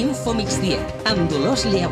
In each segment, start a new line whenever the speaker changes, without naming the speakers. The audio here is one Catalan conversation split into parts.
Info Migdia, amb Dolors Lleu.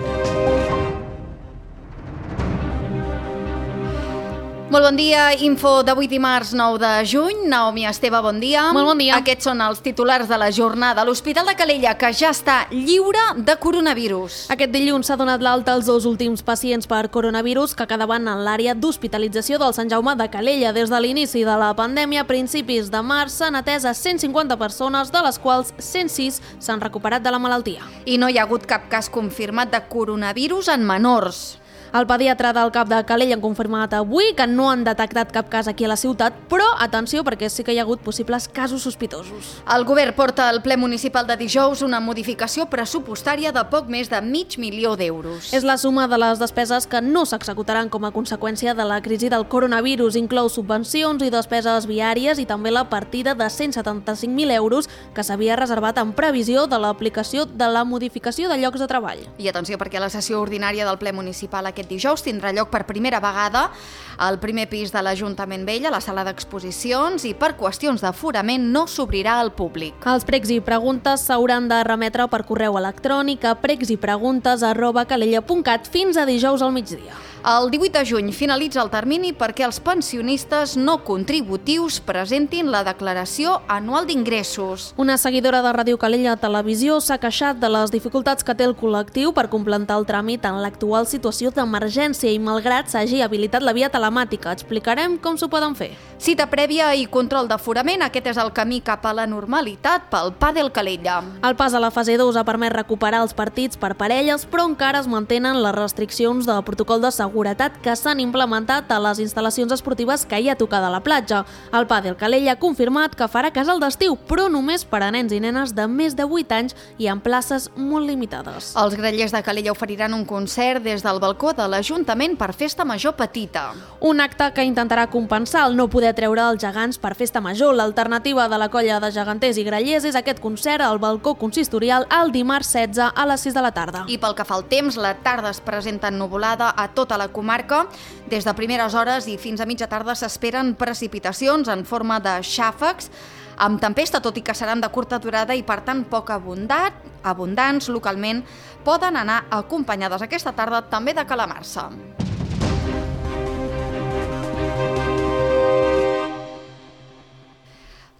Molt bon dia, info d'avui dimarts 9 de juny. Naomi Esteve, bon dia.
Molt bon dia.
Aquests són els titulars de la jornada. L'Hospital de Calella, que ja està lliure de coronavirus.
Aquest dilluns s'ha donat l'alta als 2 últims pacients per coronavirus que quedaven en l'àrea d'hospitalització del Sant Jaume de Calella. Des de l'inici de la pandèmia, a principis de març, s'han atès a 150 persones, de les quals 106 s'han recuperat de la malaltia.
I no hi ha hagut cap cas confirmat de coronavirus en menors.
El pediatre del CAP de Calella han confirmat avui que no han detectat cap cas aquí a la ciutat, però atenció perquè sí que hi ha hagut possibles casos sospitosos.
El govern porta al ple municipal de dijous una modificació pressupostària de poc més de $500.000 d'euros.
És la suma de les despeses que no s'executaran com a conseqüència de la crisi del coronavirus. Inclou subvencions i despeses viàries i també la partida de 175.000 euros que s'havia reservat en previsió de l'aplicació de la modificació de llocs de treball.
I atenció perquè la sessió ordinària del ple municipal aquest dijous tindrà lloc per primera vegada al primer pis de l'Ajuntament Vell, a la sala d'exposicions, i per qüestions d'aforament no s'obrirà al públic.
Els pregs i preguntes s'hauran de remetre per correu electrònic a pregsipreguntes@calella.cat fins a dijous al migdia.
El 18 de juny finalitza el termini perquè els pensionistes no contributius presentin la declaració anual d'ingressos.
Una seguidora de Ràdio Calella Televisió s'ha queixat de les dificultats que té el col·lectiu per completar el tràmit en l'actual situació d'emergència i malgrat s'hagi habilitat la via telemàtica. Explicarem com s'ho poden fer.
Cita prèvia i control d'aforament, aquest és el camí cap a la normalitat pel Pàdel Calella.
El pas a la fase 2 ha permès recuperar els partits per parelles, però encara es mantenen les restriccions de protocol de seguretat que s'han implementat a les instal·lacions esportives que hi ha tocada a la platja. El Pàdel Calella ha confirmat que farà casal d'estiu, però només per a nens i nenes de més de 8 anys i en places molt limitades.
Els grallers de Calella oferiran un concert des del balcó de l'Ajuntament per Festa Major Petita.
Un acte que intentarà compensar el no poder treure els gegants per Festa Major. L'alternativa de la colla de geganters i grallers és aquest concert al balcó consistorial el dimarts 16 a les 6 de la tarda.
I pel que fa al temps, la tarda es presenta ennuvolada a tota la comarca. Des de primeres hores i fins a mitja tarda s'esperen precipitacions en forma de xàfecs amb tempesta, tot i que seran de curta durada i per tant poc abundants localment, poden anar acompanyades aquesta tarda també de calamarsa.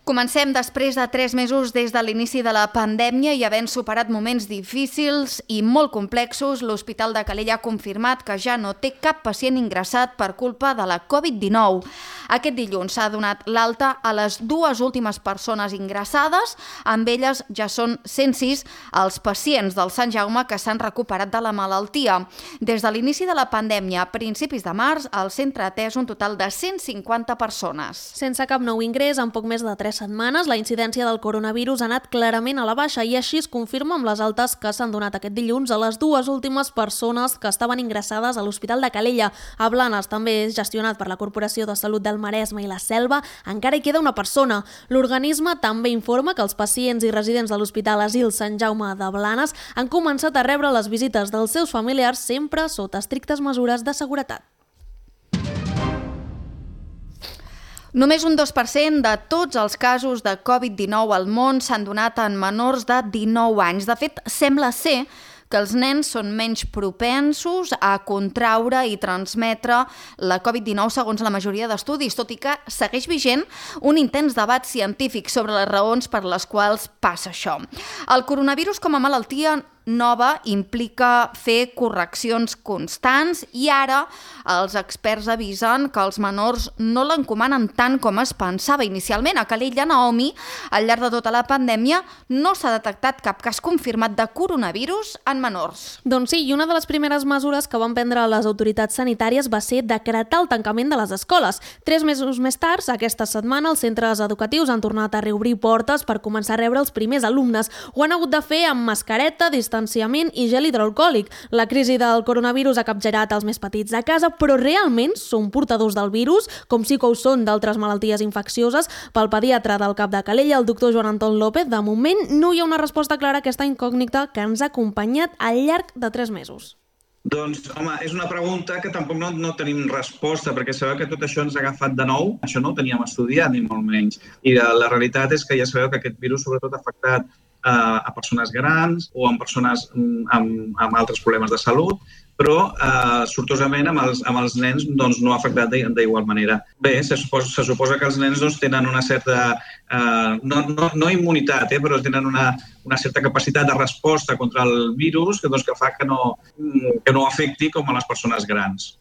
Comencem després de 3 mesos des de l'inici de la pandèmia i havent superat moments difícils i molt complexos, l'Hospital de Calella ha confirmat que ja no té cap pacient ingressat per culpa de la Covid-19. Aquest dilluns s'ha donat l'alta a les 2 últimes persones ingressades, amb elles ja són 106 els pacients del Sant Jaume que s'han recuperat de la malaltia. Des de l'inici de la pandèmia, a principis de març, el centre ha atès un total de 150 persones.
Sense cap nou ingrés, en poc més de 3 setmanes, la incidència del coronavirus ha anat clarament a la baixa i així es confirma amb les altes que s'han donat aquest dilluns a les 2 últimes persones que estaven ingressades a l'Hospital de Calella. A Blanes també és gestionat per la Corporació de Salut del Maresme i la Selva, encara hi queda una persona. L'organisme també informa que els pacients i residents de l'Hospital Asil Sant Jaume de Blanes han començat a rebre les visites dels seus familiars sempre sota estrictes mesures de seguretat.
Només un 2% de tots els casos de Covid-19 al món s'han donat en menors de 19 anys. De fet, sembla ser que els nens són menys propensos a contraure i transmetre la Covid-19 segons la majoria d'estudis, tot i que segueix vigent un intens debat científic sobre les raons per les quals passa això. El coronavirus com a malaltia nova implica fer correccions constants i ara els experts avisen que els menors no l'encomanen tant com es pensava inicialment. A Calella, Naomi, al llarg de tota la pandèmia no s'ha detectat cap cas confirmat de coronavirus en menors.
Doncs sí, i una de les primeres mesures que van prendre les autoritats sanitàries va ser decretar el tancament de les escoles. 3 mesos més tard, aquesta setmana, els centres educatius han tornat a reobrir portes per començar a rebre els primers alumnes. Ho han hagut de fer amb mascareta, distanciament i gel hidroalcohòlic. La crisi del coronavirus ha capgirat els més petits a casa, però realment són portadors del virus, com sí que ho són d'altres malalties infeccioses. Pel pediatre del CAP de Calella, el doctor Joan Anton López, de moment no hi ha una resposta clara a aquesta incògnita que ens ha acompanyat al llarg de 3 mesos.
Doncs, home, és una pregunta que tampoc no tenim resposta, perquè sabeu que tot això ens ha agafat de nou. Això no ho teníem estudiat, ni molt menys. I la realitat és que ja sabeu que aquest virus sobretot ha afectat a persones grans o en persones amb altres problemes de salut, però sortosament amb els nens doncs, no ha afectat d'igual manera. Bé, se suposa que els nens doncs, tenen una certa, no immunitat, però tenen una certa capacitat de resposta contra el virus que fa que no afecti com a les persones grans.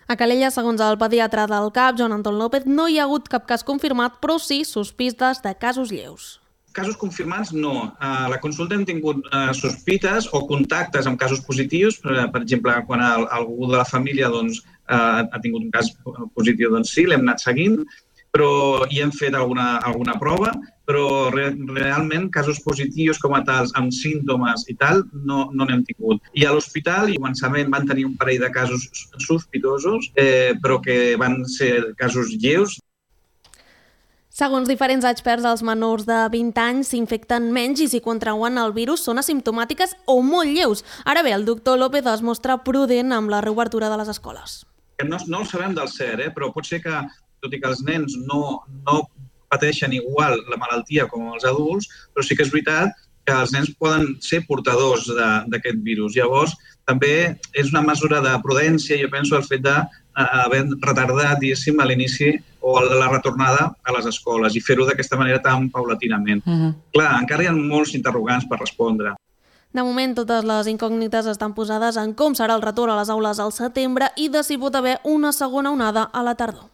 A Calella, segons el pediatre del CAP, Joan Anton López, no hi ha hagut cap cas confirmat, però sí sospites de casos lleus.
Casos confirmats, no. A la consulta hem tingut sospites o contactes amb casos positius. Per exemple, quan algú de la família ha tingut un cas positiu, doncs sí, l'hem anat seguint, però hi hem fet alguna prova, però realment casos positius com a tals, amb símptomes i tal, no n'hem tingut. I a l'hospital, al començament van tenir un parell de casos sospitosos, però que van ser casos lleus.
Segons diferents experts, els menors de 20 anys s'infecten menys i si contrauen el virus són asimptomàtiques o molt lleus. Ara bé, el doctor López es mostra prudent amb la reobertura de les escoles.
No ho sabem del cert, però pot ser que, tot i que els nens no pateixen igual la malaltia com els adults, però sí que és veritat que els nens poden ser portadors d'aquest virus. Llavors, també és una mesura de prudència, jo penso, el fet d'haver retardat, diguéssim, a l'inici o la retornada a les escoles i fer-ho d'aquesta manera tan paulatinament. Clar, encara hi ha molts interrogants per respondre.
De moment, totes les incògnites estan posades en com serà el retorn a les aules al setembre i de si pot haver una segona onada a la tardor.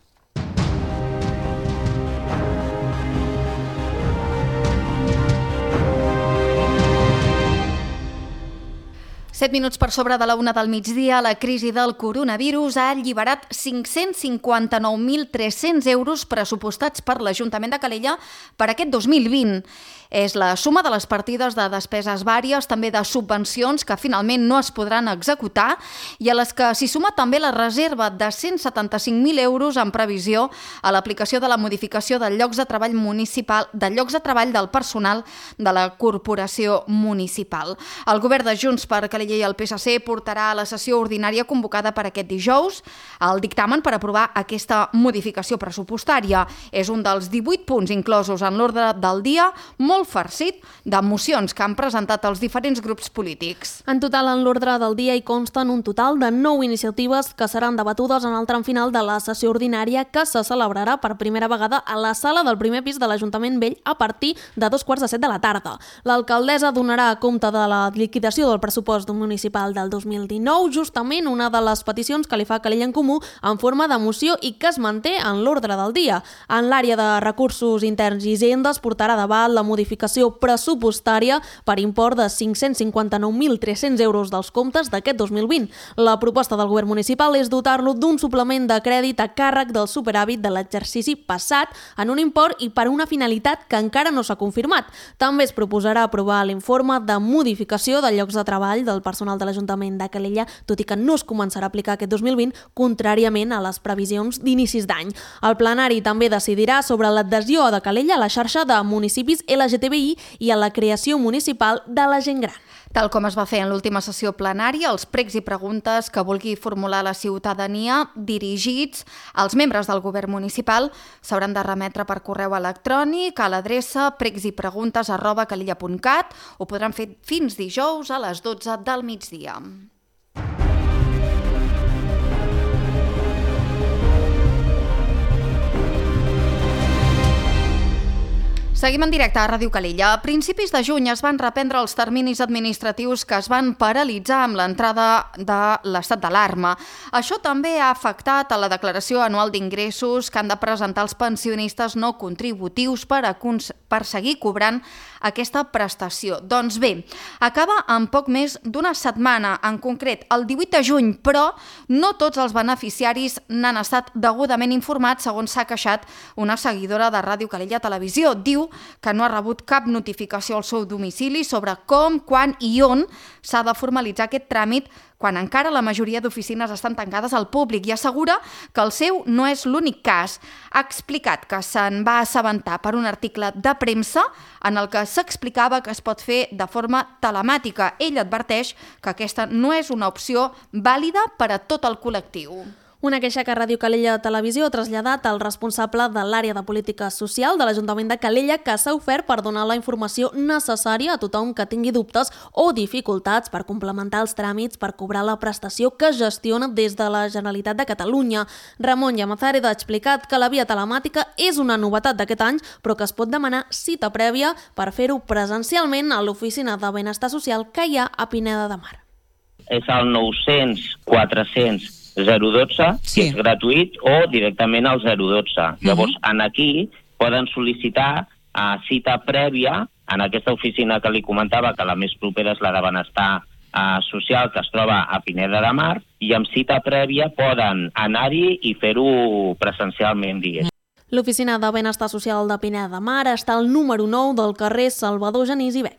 7 minuts per sobre de la 1 del migdia, la crisi del coronavirus ha alliberat 559.300 euros pressupostats per l'Ajuntament de Calella per aquest 2020. És la suma de les partides de despeses vàries, també de subvencions que finalment no es podran executar i a les que s'hi suma també la reserva de 175.000 euros en previsió a l'aplicació de la modificació de llocs de treball municipal, de llocs de treball del personal de la corporació municipal. El govern de Junts per Calella i el PSC portarà a la sessió ordinària convocada per aquest dijous el dictamen per aprovar aquesta modificació pressupostària. És un dels 18 punts inclosos en l'ordre del dia, molt farcit de mocions que han presentat els diferents grups polítics.
En total, en l'ordre del dia hi consten un total de 9 iniciatives que seran debatudes en el tram final de la sessió ordinària que se celebrarà per primera vegada a la sala del primer pis de l'Ajuntament Vell a partir de 2:45 de la tarda. L'alcaldessa donarà compte de la liquidació del pressupost municipal del 2019, justament una de les peticions que li fa Calella en Comú en forma de moció i que es manté en l'ordre del dia. En l'àrea de recursos interns i hisendes portarà davant la modificació pressupostària per import de 559.300 euros dels comptes d'aquest 2020. La proposta del govern municipal és dotar-lo d'un suplement de crèdit a càrrec del superàvit de l'exercici passat en un import i per una finalitat que encara no s'ha confirmat. També es proposarà aprovar l'informe de modificació de llocs de treball del personal de l'Ajuntament de Calella, tot i que no es començarà a aplicar aquest 2020, contràriament a les previsions d'inicis d'any. El plenari també decidirà sobre l'adhesió de Calella a la xarxa de municipis LGTBI i a la creació municipal de la gent gran.
Tal com es va fer en l'última sessió plenària, els pregs i preguntes que vulgui formular la ciutadania dirigits als membres del govern municipal s'hauran de remetre per correu electrònic a l'adreça pregsipreguntes@calella.cat. Ho podran fer fins dijous a les 12 del migdia. Seguim en directe a Ràdio Calella. A principis de juny es van reprendre els terminis administratius que es van paralitzar amb l'entrada de l'estat d'alarma. Això també ha afectat a la declaració anual d'ingressos que han de presentar els pensionistes no contributius per seguir cobrant aquesta prestació. Doncs bé, acaba en poc més d'una setmana, en concret el 18 de juny, però no tots els beneficiaris n'han estat degudament informats, segons s'ha queixat una seguidora de Ràdio Calella Televisió. Diu que no ha rebut cap notificació al seu domicili sobre com, quan i on s'ha de formalitzar aquest tràmit quan encara la majoria d'oficines estan tancades al públic i assegura que el seu no és l'únic cas. Ha explicat que se'n va assabentar per un article de premsa en el que s'explicava que es pot fer de forma telemàtica. Ell adverteix que aquesta no és una opció vàlida per a tot el col·lectiu.
Una queixa que Ràdio Calella Televisió ha traslladat al responsable de l'àrea de política social de l'Ajuntament de Calella, que s'ha ofert per donar la informació necessària a tothom que tingui dubtes o dificultats per complementar els tràmits per cobrar la prestació que gestiona des de la Generalitat de Catalunya. Ramon Llamazares ha explicat que la via telemàtica és una novetat d'aquest any, però que es pot demanar cita prèvia per fer-ho presencialment a l'oficina de benestar social que hi ha a Pineda de Mar.
És el 900 400 012, que és gratuït, o directament al 012. Llavors, aquí poden sol·licitar cita prèvia en aquesta oficina que li comentava, que la més propera és la de benestar social, que es troba a Pineda de Mar, i amb cita prèvia poden anar-hi i fer-ho presencialment, diguéssim.
L'oficina de benestar social de Pineda de Mar està al número 9 del carrer Salvador Genís i Bec.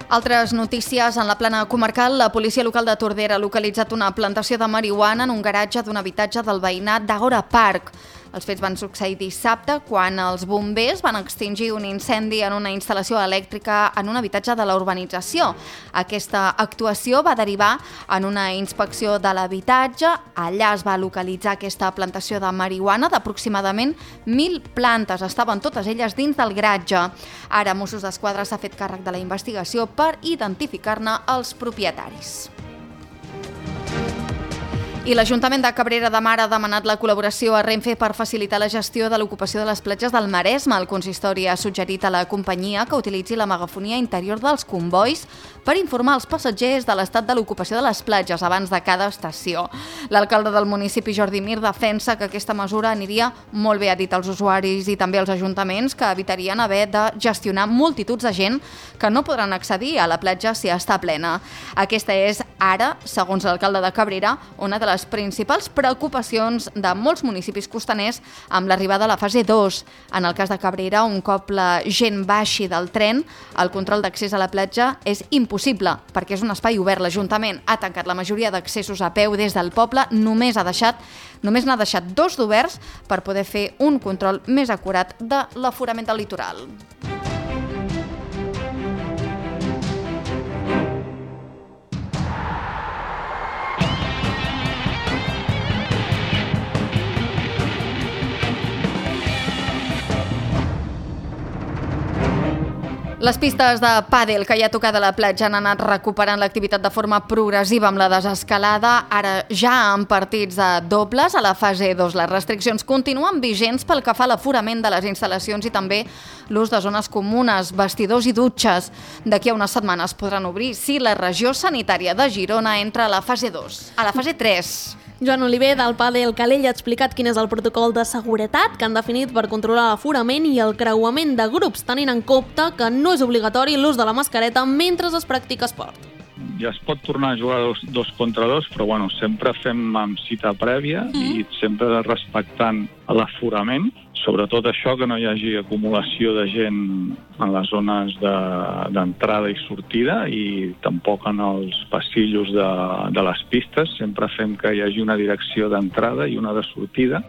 Altres notícies. En la plana comarcal, la policia local de Tordera ha localitzat una plantació de marihuana en un garatge d'un habitatge del veïnat d'Agora Park. Els fets van succeir dissabte quan els bombers van extingir un incendi en una instal·lació elèctrica en un habitatge de la urbanització. Aquesta actuació va derivar en una inspecció de l'habitatge. Allà es va localitzar aquesta plantació de marihuana d'aproximadament 1.000 plantes. Estaven totes elles dins del garatge. Ara Mossos d'Esquadra s'ha fet càrrec de la investigació per identificar-ne els propietaris. I l'Ajuntament de Cabrera de Mar ha demanat la col·laboració a Renfe per facilitar la gestió de l'ocupació de les platges del Maresme. El consistori ha suggerit a la companyia que utilitzi la megafonia interior dels combois per informar els passatgers de l'estat de l'ocupació de les platges abans de cada estació. L'alcalde del municipi, Jordi Mir, defensa que aquesta mesura aniria molt bé, ha dit als usuaris i també als ajuntaments, que evitarien haver de gestionar multituds de gent que no podran accedir a la platja si està plena. Aquesta és ara, segons l'alcalde de Cabrera, una de les principals preocupacions de molts municipis costaners amb l'arribada a la fase 2. En el cas de Cabrera, un cop la gent baixi del tren, el control d'accés a la platja és impossible, perquè és un espai obert. L'Ajuntament ha tancat la majoria d'accessos a peu des del poble, només n'ha deixat 2 d'oberts per poder fer un control més acurat de l'aforament del litoral. Les pistes de pàdel que hi ha tocat a la platja han anat recuperant l'activitat de forma progressiva amb la desescalada, ara ja en partits de dobles a la fase 2. Les restriccions continuen vigents pel que fa a l'aforament de les instal·lacions i també l'ús de zones comunes, vestidors i dutxes. D'aquí a unes setmanes podran obrir si la regió sanitària de Girona entra a la fase 2. A la fase 3...
Joan Oliver, del Padel Calella, ha explicat quin és el protocol de seguretat que han definit per controlar l'aforament i el creuament de grups, tenint en compte que no és obligatori l'ús de la mascareta mentre es practica esport.
Ja es pot tornar a jugar dos contra dos, però sempre fem amb cita prèvia i sempre respectant l'aforament. Sobretot això, que no hi hagi acumulació de gent en les zones d'entrada i sortida i tampoc en els passillos de les pistes. Sempre fem que hi hagi una direcció d'entrada i una de sortida.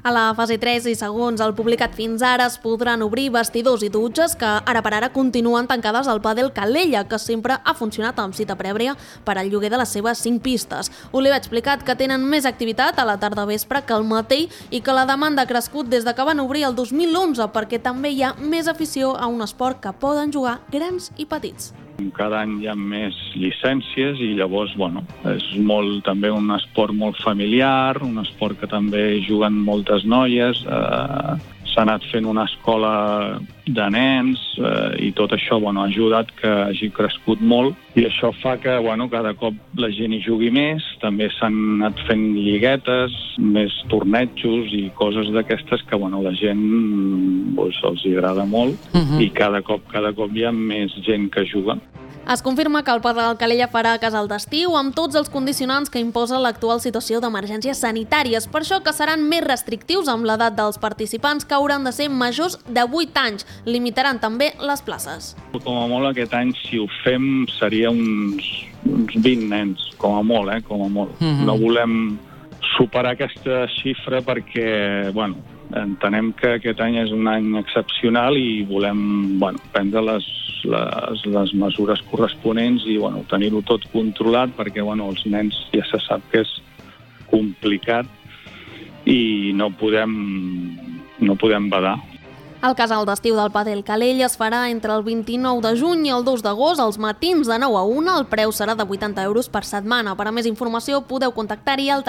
A la fase 3 i segons el publicat fins ara es podran obrir vestidors i dutxes que ara per ara continuen tancades al Padel Calella, que sempre ha funcionat amb cita prèvia per al lloguer de les seves 5 pistes. Oliver ha explicat que tenen més activitat a la tarda vespre que al matí i que la demanda ha crescut des de que van obrir el 2011 perquè també hi ha més afició a un esport que poden jugar grans i petits.
Cada any hi ha més llicències i llavors, és també un esport molt familiar, un esport que també juguen moltes noies, s'ha anat fent una escola de nens i tot això ha ajudat que hagi crescut molt i això fa que cada cop la gent hi jugui més, també s'han anat fent lliguetes, més tornejos i coses d'aquestes que la gent els agrada molt i cada cop hi ha més gent que juga.
Es confirma que el Padel Calella farà casal d'estiu amb tots els condicionants que imposa l'actual situació d'emergències sanitàries. Per això que seran més restrictius amb l'edat dels participants, que hauran de ser majors de 8 anys. Limitaran també les places.
Com a molt aquest any, si ho fem, seria uns 20 nens, com a molt, com a molt. No volem superar aquesta xifra perquè, entenem que aquest any és un any excepcional i volem prendre les mesures corresponents i tenir-ho tot controlat perquè els nens ja se sap que és complicat i no podem badar.
El casal d'estiu del Padel Calella es farà entre el 29 de juny i el 2 d'agost, als matins de 9 a 1. El preu serà de 80 euros per setmana. Per a més informació podeu contactar-hi al